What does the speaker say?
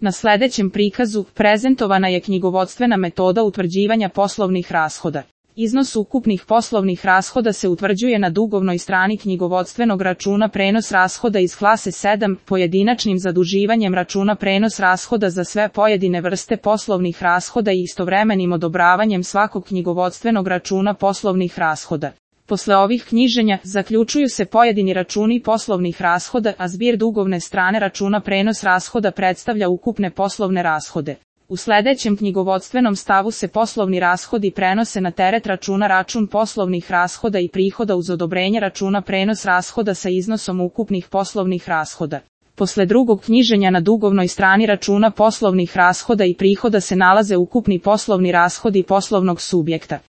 Na sledećem prikazu prezentovana je knjigovodstvena metoda utvrđivanja poslovnih rashoda. Iznos ukupnih poslovnih rashoda se utvrđuje na dugovnoj strani knjigovodstvenog računa prenos rashoda iz klase 7, pojedinačnim zaduživanjem računa prenos rashoda za sve pojedine vrste poslovnih rashoda i istovremenim odobravanjem svakog knjigovodstvenog računa poslovnih rashoda. Posle ovih knjiženja, zaključuju se pojedini računi poslovnih rashoda, a zbir dugovne strane računa prenos rashoda predstavlja ukupne poslovne rashode. U sledećem knjigovodstvenom stavu se poslovni rashodi prenose na teret računa račun poslovnih rashoda i prihoda uz odobrenje računa prenos rashoda sa iznosom ukupnih poslovnih rashoda. Posle drugog knjiženja na dugovnoj strani računa poslovnih rashoda i prihoda se nalaze ukupni poslovni rashodi poslovnog subjekta.